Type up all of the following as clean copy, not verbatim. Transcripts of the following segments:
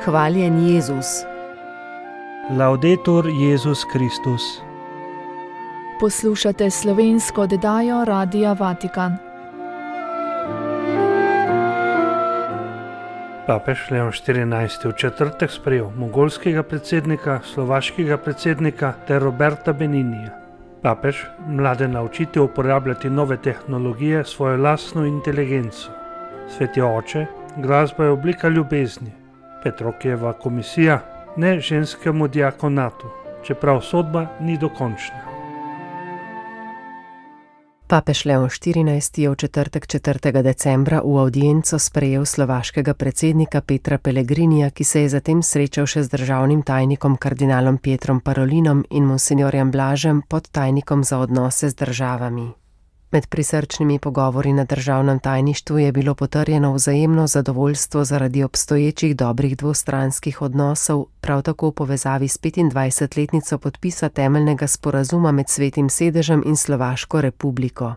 Hvaljen Jezus. Laudetur Jezus Kristus. Poslušate slovensko oddajo Radia Vatikan. Papež Leon XIV. V četrtek sprejel mongolskega predsednika, slovaškega predsednika ter Roberta Beninija. Papež mlade naučiti uporabljati nove tehnologije, svojo lastno inteligenco. Sveti oče, glasba je oblika ljubezni. Petrokijeva komisija, ne ženskemu diakonatu, čeprav sodba ni dokončna. Papež Leon XIV. Je v četrtek 4. decembra v avdienco sprejel slovaškega predsednika Petra Pellegrinija, ki se je zatem srečal še z državnim tajnikom kardinalom Pietrom Parolinom in monsinjorjem Blažem, podtajnikom za odnose z državami. Med prisrčnimi pogovori na državnem tajništvu je bilo potrjeno vzajemno zadovoljstvo zaradi obstoječih dobrih dvostranskih odnosov, prav tako v povezavi s 25-letnico podpisa temeljnega sporazuma med Svetim sedežem in Slovaško republiko.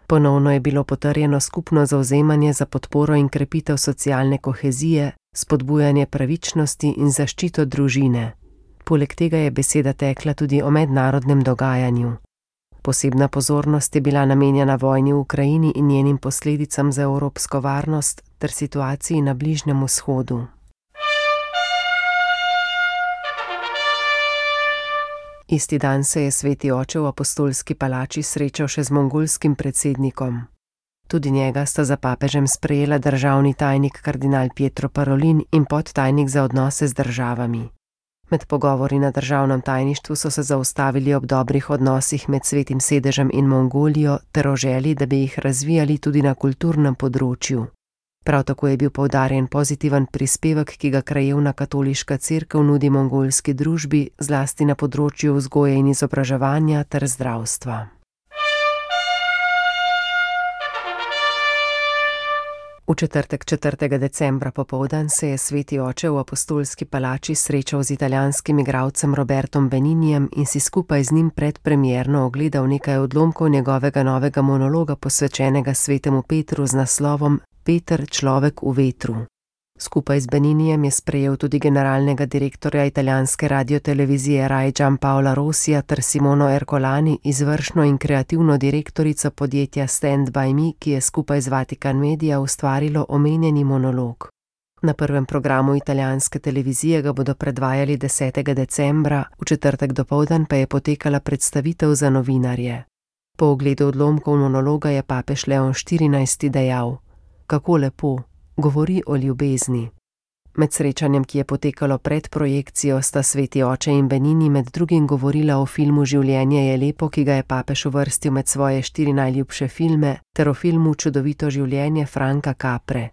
Ponovno je bilo potrjeno skupno zavzemanje za podporo in krepitev socialne kohezije, spodbujanje pravičnosti in zaščito družine. Poleg tega je beseda tekla tudi o mednarodnem dogajanju. Posebna pozornost je bila namenjena vojni v Ukrajini in njenim posledicam za evropsko varnost ter situaciji na Bližnjem vzhodu. Isti dan se je sveti oče v apostolski palači srečal še z mongolskim predsednikom. Tudi njega sta za papežem sprejela državni tajnik kardinal Pietro Parolin in podtajnik za odnose z državami. Med pogovori na državnem tajništvu so se zaustavili ob dobrih odnosih med Svetim sedežem in Mongolijo ter o želji, da bi jih razvijali tudi na kulturnem področju. Prav tako je bil poudarjen pozitiven prispevek, ki ga krajevna katoliška cerkev nudi mongolski družbi, zlasti na področju vzgoje in izobraževanja ter zdravstva. V četrtek 4. decembra popoldan se je sveti oče v apostolski palači srečal z italijanskim igralcem Robertom Beninijem in si skupaj z njim predpremierno ogledal nekaj odlomkov njegovega novega monologa posvečenega svetemu Petru z naslovom Peter, človek v vetru. Skupaj z Beninijem je sprejel tudi generalnega direktorja italijanske radiotelevizije Rai Gianpaola Rossija ter Simono Ercolani, izvršno in kreativno direktorico podjetja Stand by Me, ki je skupaj z Vatikan Media ustvarilo omenjeni monolog. Na prvem programu italijanske televizije ga bodo predvajali 10. decembra, v četrtek dopoldan pa je potekala predstavitev za novinarje. Po ogledu odlomkov monologa je papež Leon XIV. Dejal: kako lepo, govori o ljubezni. Med srečanjem, ki je potekalo pred projekcijo, sta sveti oče in Benini med drugim govorila o filmu Življenje je lepo, ki ga je papež uvrstil med svoje 4 najljubše filme, ter o filmu Čudovito življenje Franka Capre.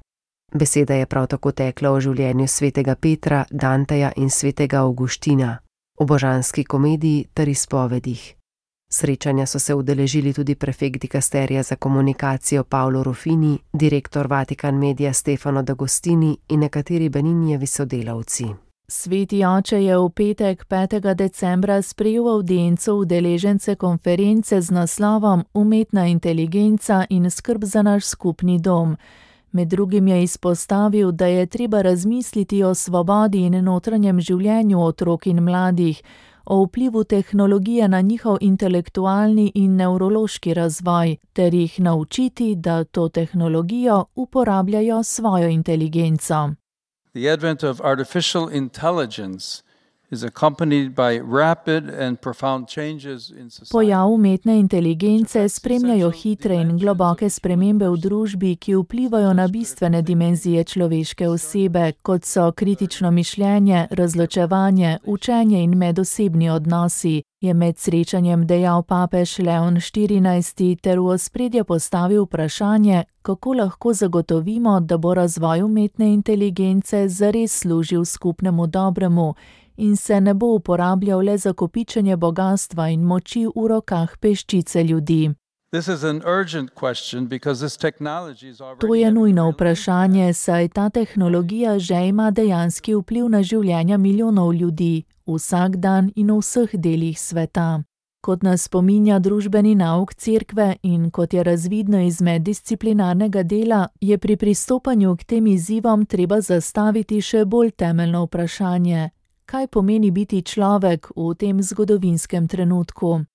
Beseda je prav tako tekla o življenju svetega Petra, Danteja in svetega Avguština, o božanski komediji ter izpovedih. Srečanja so se udeležili tudi prefekt dikasterija za komunikacijo Paolo Ruffini, direktor Vatikan Media Stefano D'Agostini in nekateri Beninijevi sodelavci. Sveti oče je v petek 5. decembra sprejel avdienco udeležence konference z naslovom Umetna inteligenca in skrb za naš skupni dom. Med drugim je izpostavil, da je treba razmisliti o svobodi in notranjem življenju otrok in mladih, o vplivu tehnologije na njihov intelektualni in nevrološki razvoj, ter jih naučiti, da to tehnologijo uporabljajo svojo inteligenco. The advent of artificial intelligence is accompanied by rapid and profound changes in society. Pojav umetne inteligence spremljajo hitre in globoke spremembe v družbi, ki vplivajo na bistvene dimenzije človeške osebe, kot so kritično mišljenje, razločevanje, učenje in medosebni odnosi, je med srečanjem dejal papež Leon XIV. Ter v ospredje postavil vprašanje, kako lahko zagotovimo, da bo razvoj umetne inteligence zares služil skupnemu dobremu in se ne bo uporabljal le za kopičenje bogastva in moči v rokah peščice ljudi. To je nujno vprašanje, saj ta tehnologija že ima dejanski vpliv na življenja milijonov ljudi, vsak dan in v vseh delih sveta. Kot nas spominja družbeni nauk cerkve in kot je razvidno iz meddisciplinarnega dela, je pri pristopanju k tem izzivom treba zastaviti še bolj temeljno vprašanje: kaj pomeni biti človek v tem zgodovinskem trenutku?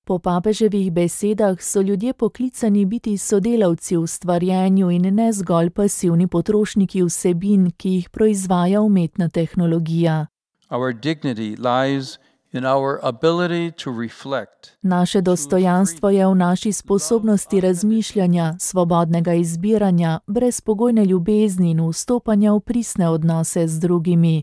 Po papeževih besedah so ljudje poklicani biti sodelavci v stvarjenju in ne zgolj pasivni potrošniki vsebin, ki jih proizvaja umetna tehnologija. Our dignity lies in our ability to reflect. Naše dostojanstvo je v naši sposobnosti razmišljanja, svobodnega izbiranja, brezpogojne ljubezni in vstopanja v pristne odnose z drugimi.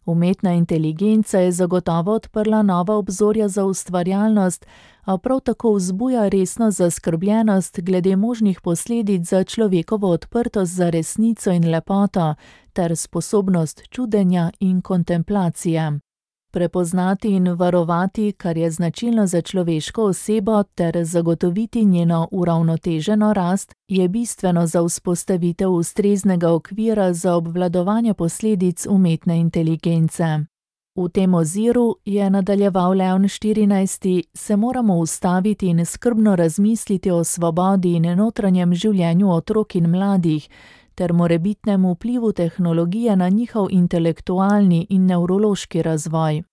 Umetna inteligenca je zagotovo odprla nova obzorja za ustvarjalnost, a prav tako vzbuja resno zaskrbljenost glede možnih posledic za človekovo odprtost za resnico in lepoto ter sposobnost čudenja in kontemplacije. Prepoznati in varovati, kar je značilno za človeško osebo, ter zagotoviti njeno uravnoteženo rast, je bistveno za vzpostavitev ustreznega okvira za obvladovanje posledic umetne inteligence. V tem oziru, je nadaljeval Leon XIV, se moramo ustaviti in skrbno razmisliti o svobodi in notranjem življenju otrok in mladih, ter morebitnem vplivu tehnologije na njihov intelektualni in nevrološki razvoj.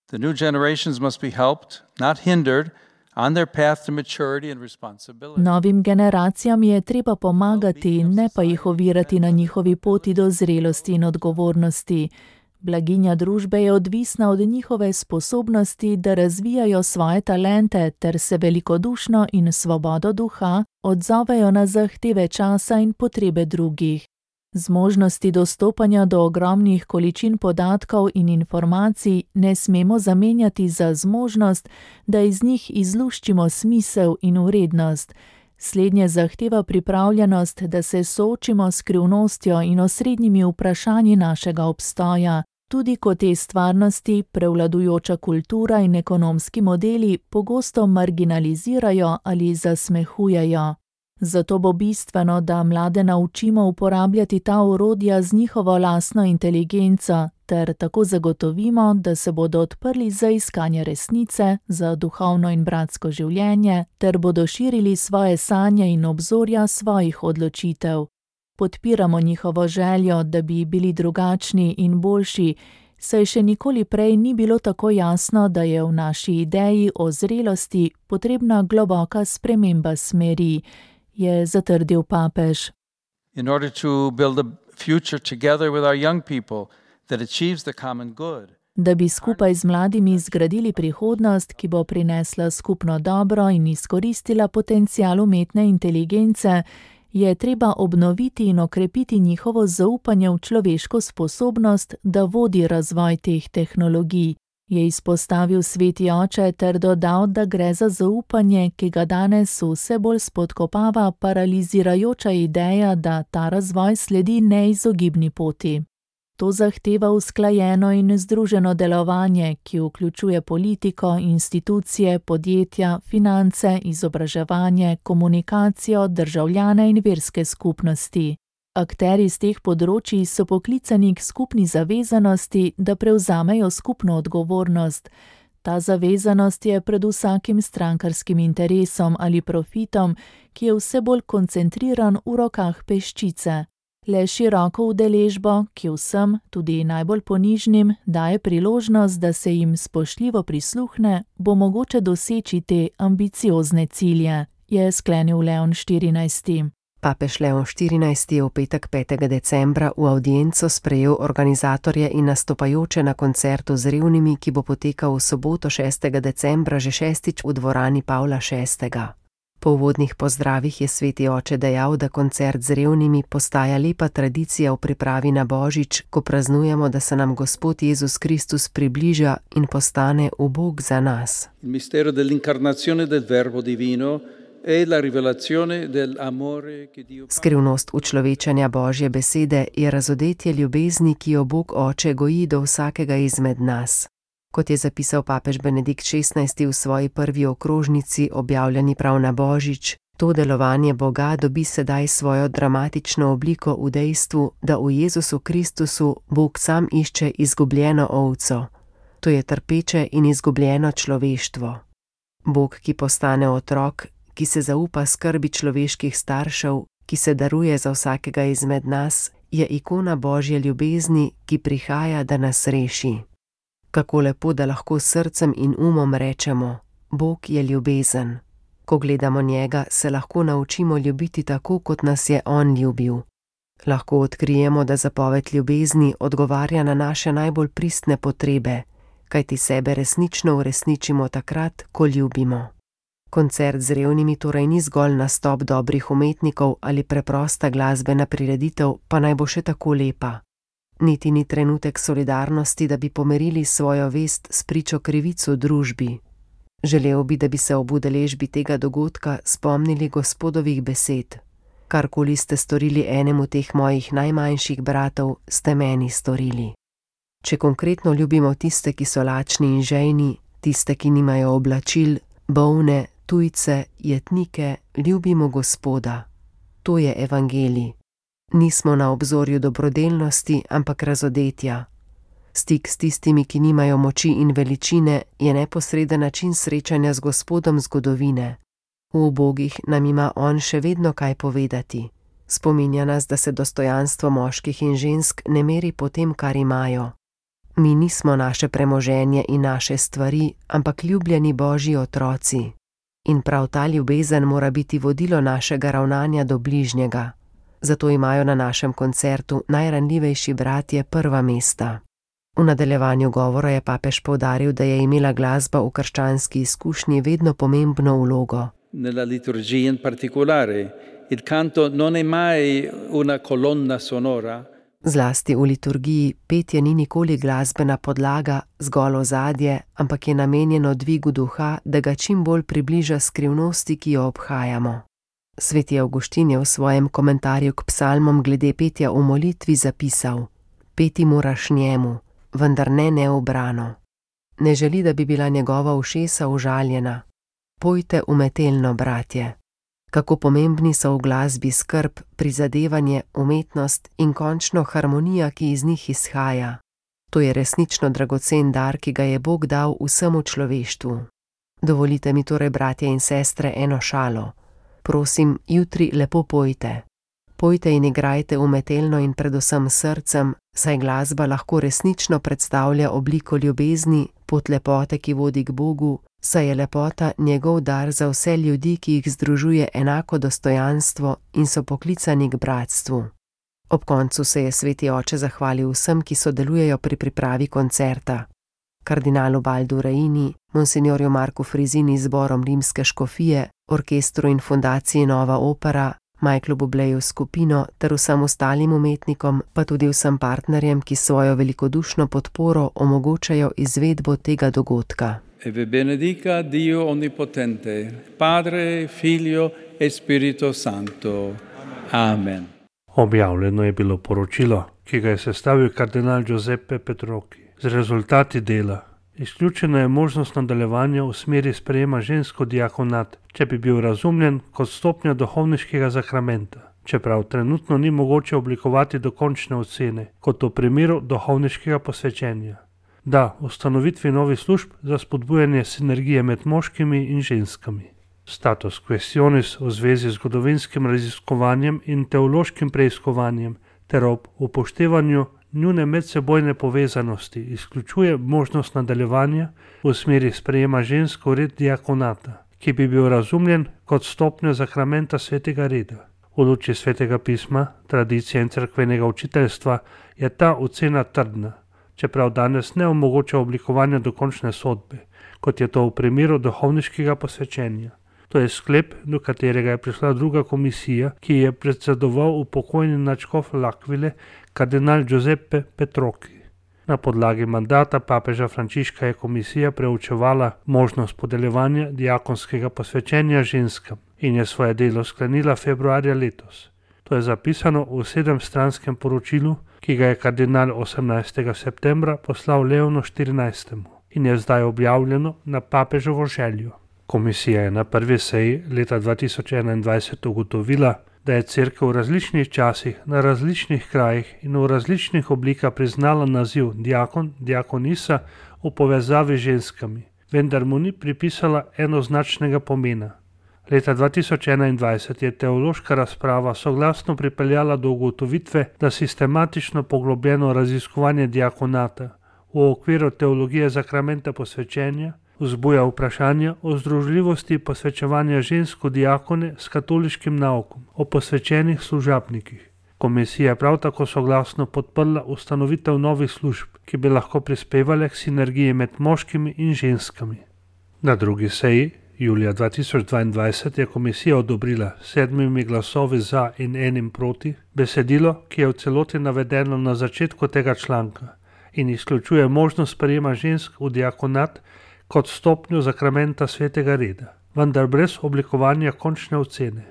The new generations must be helped, not hindered, on their path to maturity and responsibility. Novim generacijam je treba pomagati, ne pa jih ovirati na njihovi poti do zrelosti in odgovornosti. Blaginja družbe je odvisna od njihove sposobnosti, da razvijajo svoje talente ter se velikodušno in svobodo duha odzovejo na zahteve časa in potrebe drugih. Zmožnosti dostopanja do ogromnih količin podatkov in informacij ne smemo zamenjati za zmožnost, da iz njih izluščimo smisel in vrednost. Slednje zahteva pripravljenost, da se soočimo s skrivnostjo in osrednjimi vprašanji našega obstoja, tudi ko te stvarnosti, prevladujoča kultura in ekonomski modeli pogosto marginalizirajo ali zasmehujejo. Zato bo bistveno, da mlade naučimo uporabljati ta orodja z njihovo lastno inteligenco, ter tako zagotovimo, da se bodo odprli za iskanje resnice, za duhovno in bratsko življenje, ter bodo širili svoje sanje in obzorja svojih odločitev. Podpiramo njihovo željo, da bi bili drugačni in boljši, saj še nikoli prej ni bilo tako jasno, da je v naši ideji o zrelosti potrebna globoka sprememba smeri, je zatrdil papež. In order to build a future together with our young people that achieves the common good. Da bi skupaj z mladimi zgradili prihodnost, ki bo prinesla skupno dobro in izkoristila potencial umetne inteligence, je treba obnoviti in okrepiti njihovo zaupanje v človeško sposobnost, da vodi razvoj teh tehnologij, je izpostavil sveti oče ter dodal, da gre za zaupanje, ki ga danes vse bolj spodkopava paralizirajoča ideja, da ta razvoj sledi neizogibni poti. To zahteva usklajeno in združeno delovanje, ki vključuje politiko, institucije, podjetja, finance, izobraževanje, komunikacijo, državljane in verske skupnosti. Akteri z teh področij so poklicani k skupni zavezanosti, da prevzamejo skupno odgovornost. Ta zavezanost je pred vsakim strankarskim interesom ali profitom, ki je vse bolj koncentriran v rokah peščice. Le široko udeležbo, ki vsem, tudi najbolj ponižnim, daje priložnost, da se jim spoštljivo prisluhne, bo mogoče doseči te ambiciozne cilje, je sklenil Leon XIV. Papež Leon XIV je v petek 5. decembra v avdienco sprejel organizatorje in nastopajoče na koncertu z revnimi, ki bo potekal v soboto 6. decembra že šestič v dvorani Pavla VI. Po uvodnih pozdravih je sveti oče dejal, da koncert z revnimi postaja lepa tradicija v pripravi na Božič, ko praznujemo, da se nam Gospod Jezus Kristus približa in postane ubog za nas. Il mistero dell'incarnazione del Verbo divino e la rivelazione dell'amore che Dio. Skrivnost učlovečenja Božje besede je razodetje ljubezni, ki jo Bog Oče goji do vsakega izmed nas. Kot je zapisal papež Benedikt XVI v svoji prvi okrožnici, objavljeni prav na Božič, to delovanje Boga dobi sedaj svojo dramatično obliko v dejstvu, da v Jezusu Kristusu Bog sam išče izgubljeno ovco. To je trpeče in izgubljeno človeštvo. Bog, ki postane otrok, ki se zaupa skrbi človeških staršev, ki se daruje za vsakega izmed nas, je ikona Božje ljubezni, ki prihaja, da nas reši. Kako lepo, da lahko s srcem in umom rečemo: Bog je ljubezen. Ko gledamo njega, se lahko naučimo ljubiti tako, kot nas je on ljubil. Lahko odkrijemo, da zapoved ljubezni odgovarja na naše najbolj pristne potrebe, kajti sebe resnično uresničimo takrat, ko ljubimo. Koncert z revnimi torej ni zgolj nastop dobrih umetnikov ali preprosta glasbena prireditev, pa naj bo še tako lepa. Niti ni trenutek solidarnosti, da bi pomerili svojo vest s pričo krivic v družbi. Želel bi, da bi se ob udeležbi tega dogodka spomnili Gospodovih besed: karkoli ste storili enemu teh mojih najmanjših bratov, ste meni storili. Če konkretno ljubimo tiste, ki so lačni in žejni, tiste, ki nimajo oblačil, bolne, tujce, jetnike, ljubimo Gospoda. To je evangelij. Nismo na obzorju dobrodelnosti, ampak razodetja. Stik s tistimi, ki nimajo moči in veličine, je neposreden način srečanja z Gospodom zgodovine. V ubogih nam ima on še vedno kaj povedati. Spominja nas, da se dostojanstvo moških in žensk ne meri po tem, kar imajo. Mi nismo naše premoženje in naše stvari, ampak ljubljeni Božji otroci. In prav ta ljubezen mora biti vodilo našega ravnanja do bližnjega. Zato imajo na našem koncertu najranljivejši bratje prva mesta. V nadaljevanju govora je papež poudaril, da je imela glasba v krščanski izkušnji vedno pomembno vlogo. Nella liturgia in particolare, il canto non è mai una colonna sonora. Zlasti v liturgiji petje ni nikoli glasbena podlaga, zgolj ozadje, ampak je namenjeno dvigu duha, da ga čim bolj približa skrivnosti, ki jo obhajamo. Sveti Avguštin je v svojem komentarju k psalmom glede petja v molitvi zapisal: peti moraš njemu, vendar ne neubrano. Ne želi, da bi bila njegova ušesa užaljena. Pojte umetelno, bratje. Kako pomembni so v glasbi skrb, prizadevanje, umetnost in končno harmonija, ki iz njih izhaja. To je resnično dragocen dar, ki ga je Bog dal vsemu človeštvu. Dovolite mi torej, bratje in sestre, eno šalo. Prosim, jutri lepo pojte. Pojte in igrajte umetelno in predvsem srcem, saj glasba lahko resnično predstavlja obliko ljubezni, pot lepote, ki vodi k Bogu, saj je lepota njegov dar za vse ljudi, ki jih združuje enako dostojanstvo in so poklicani k bratstvu. Ob koncu se je sveti oče zahvalil vsem, ki sodelujejo pri pripravi koncerta. Kardinalu Baldu Reini, monsignorju Marku Frizini z zborom Rimske škofije, orkestru in fundaciji Nova opera, Michaelu Bubleju skupino ter vsem ostalim umetnikom, pa tudi vsem partnerjem, ki svojo velikodušno podporo omogočajo izvedbo tega dogodka. E vi benedica Dio Onnipotente, Padre, Figlio e Spirito Santo. Amen. Objavljeno je bilo poročilo, ki ga je sestavil kardinal Giuseppe Petrocchi. Z rezultati dela izključena je možnost nadaljevanja v smeri sprejema žensko diakonat, če bi bil razumljen kot stopnja duhovniškega zakramenta, čeprav trenutno ni mogoče oblikovati dokončne ocene, kot v primeru duhovniškega posvečenja. Da, ustanovitvi novih služb za spodbujanje sinergije med moškimi in ženskami. Status questionis v zvezi z zgodovinskim raziskovanjem in teološkim preiskovanjem ter ob upoštevanju njune medsebojne povezanosti izključuje možnost nadaljevanja v smeri sprejema žensk v red diakonata, ki bi bil razumljen kot stopnja zakramenta svetega reda. V luči svetega pisma, tradicije in cerkvenega učiteljstva je ta ocena trdna, čeprav danes ne omogoča oblikovanja dokončne sodbe, kot je to v primeru duhovniškega posvečenja. To je sklep, do katerega je prišla druga komisija, ki je predsedoval upokojeni nadškof L'Aquile, kardinal Giuseppe Petrocchi. Na podlagi mandata papeža Frančiška je komisija preučevala možnost podeljevanja diakonskega posvečenja ženskam in je svoje delo sklenila februarja letos. To je zapisano v 7-stranskem poročilu, ki ga je kardinal 18. septembra poslal Leonu XIV. In je zdaj objavljeno na papeževo željo. Komisija je na prvi seji leta 2021 ugotovila, da je cerkev v različnih časih, na različnih krajih in v različnih oblikah priznala naziv diakon, diakonisa v povezavi z ženskami, vendar mu ni pripisala enoznačnega pomena. Leta 2021 je teološka razprava soglasno pripeljala do ugotovitve, da sistematično poglobljeno raziskovanje diakonata v okviru teologije zakramenta posvečenja vzbuja vprašanja o združljivosti posvečevanja žensk v diakone s katoliškim naukom o posvečenih služabnikih. Komisija je prav tako soglasno podprla ustanovitev novih služb, ki bi lahko prispevale k sinergiji med moškimi in ženskami. Na drugi seji, julija 2022, je komisija odobrila 7 glasovi za in 1 proti besedilo, ki je v celoti navedeno na začetku tega članka in izključuje možnost sprejema žensk v diakonat kot stopnjo zakramenta svetega reda, vendar brez oblikovanja končne ocene.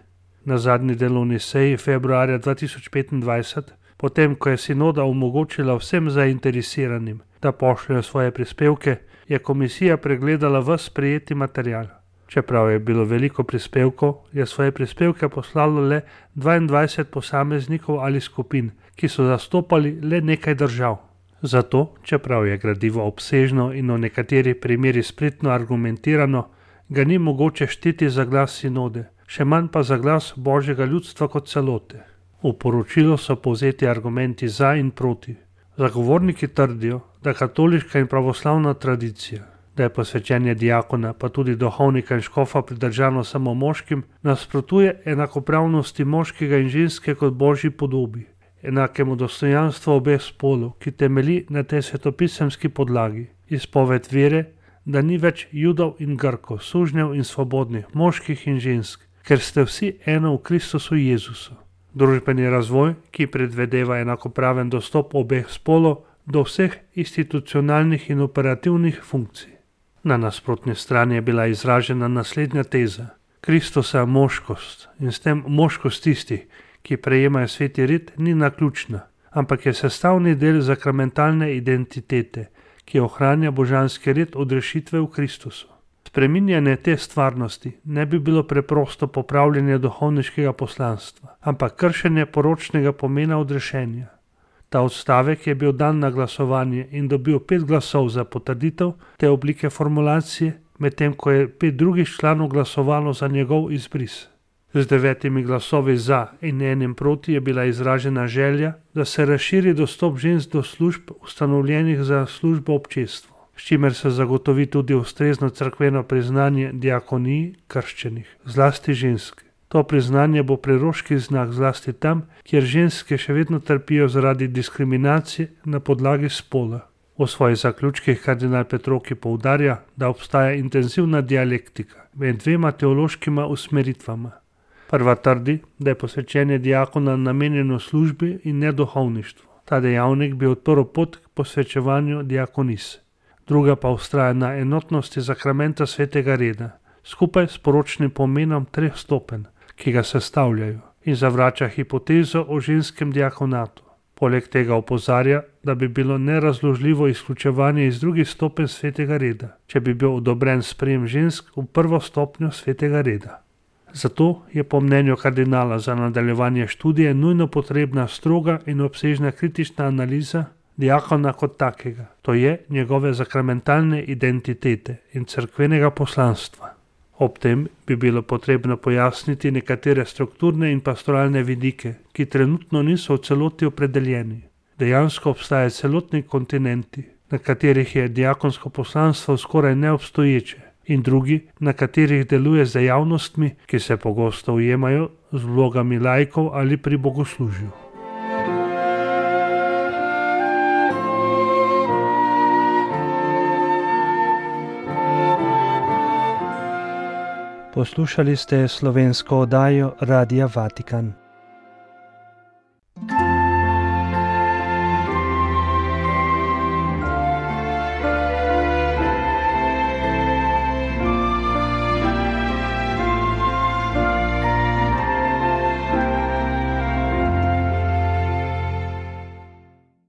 Na zadnji delovni seji februarja 2025, potem ko je sinoda omogočila vsem zainteresiranim, da pošljajo svoje prispevke, je komisija pregledala ves sprejeti material. Čeprav je bilo veliko prispevkov, je svoje prispevke poslalo le 22 posameznikov ali skupin, ki so zastopali le nekaj držav. Zato, čeprav je gradivo obsežno in v nekaterih primerih spretno argumentirano, ga ni mogoče šteti za glas sinode, še manj pa za glas Božjega ljudstva kot celote. V poročilu so povzeti argumenti za in proti. Zagovorniki trdijo, da katoliška in pravoslavna tradicija, da je posvečenje diakona pa tudi duhovnika in škofa pridržano samo moškim, nasprotuje enakopravnosti moškega in ženske kot Božji podobi, enakemu dostojanstvu obeh spolov, ki temelji na tej svetopisemski podlagi, izpoved vere, da ni več Judov in Grkov, sužnjev in svobodnih, moških in žensk, ker ste vsi eno v Kristusu Jezusu. Družbeni razvoj, ki predvedeva enakopraven dostop obeh spolov do vseh institucionalnih in operativnih funkcij. Na nasprotni strani je bila izražena naslednja teza. Kristusa moškost in s tem moškost tistih, ki prejemajo sveti red, ni naključna, ampak je sestavni del zakramentalne identitete, ki ohranja božanski red odrešitve v Kristusu. Spreminjanje te stvarnosti ne bi bilo preprosto popravljanje duhovniškega poslanstva, ampak kršenje poročnega pomena odrešenja. Ta odstavek je bil dan na glasovanje in dobil 5 glasov za potrditev te oblike formulacije, medtem ko je 5 drugih članov glasovalo za njegov izbris. Z 9 glasovi za in 1 proti je bila izražena želja, da se razširi dostop žensk do služb ustanovljenih za službo občestvu, s čimer se zagotovi tudi ustrezno cerkveno priznanje diakoniji krščenih, zlasti ženske. To priznanje bo preroški znak zlasti tam, kjer ženske še vedno trpijo zaradi diskriminacije na podlagi spola. V svojih zaključkih kardinal Petroki poudarja, da obstaja intenzivna dialektika med 2 teološkima usmeritvama. Prva trdi, da je posvečenje diakona namenjeno službi in ne duhovništvu. Ta dejavnik bi odprl pot k posvečevanju diakonis. Druga pa vztraja na enotnosti zakramenta svetega reda, skupaj s poročnim pomenom 3 stopenj, ki ga sestavljajo, in zavrača hipotezo o ženskem diakonatu. Poleg tega opozarja, da bi bilo nerazložljivo izključevanje iz drugih stopenj svetega reda, če bi bil odobren sprejem žensk v prvo stopnjo svetega reda. Zato je po mnenju kardinala za nadaljevanje študije nujno potrebna stroga in obsežna kritična analiza diakona kot takega, to je njegove zakramentalne identitete in cerkvenega poslanstva. Ob tem bi bilo potrebno pojasniti nekatere strukturne in pastoralne vidike, ki trenutno niso v celoti opredeljeni. Dejansko obstajajo celotni kontinenti, na katerih je diakonsko poslanstvo skoraj neobstoječe, in drugi, na katerih deluje z dejavnostmi, ki se pogosto ujemajo z vlogami laikov ali pri bogoslužju. Poslušali ste slovensko oddajo Radia Vatikan.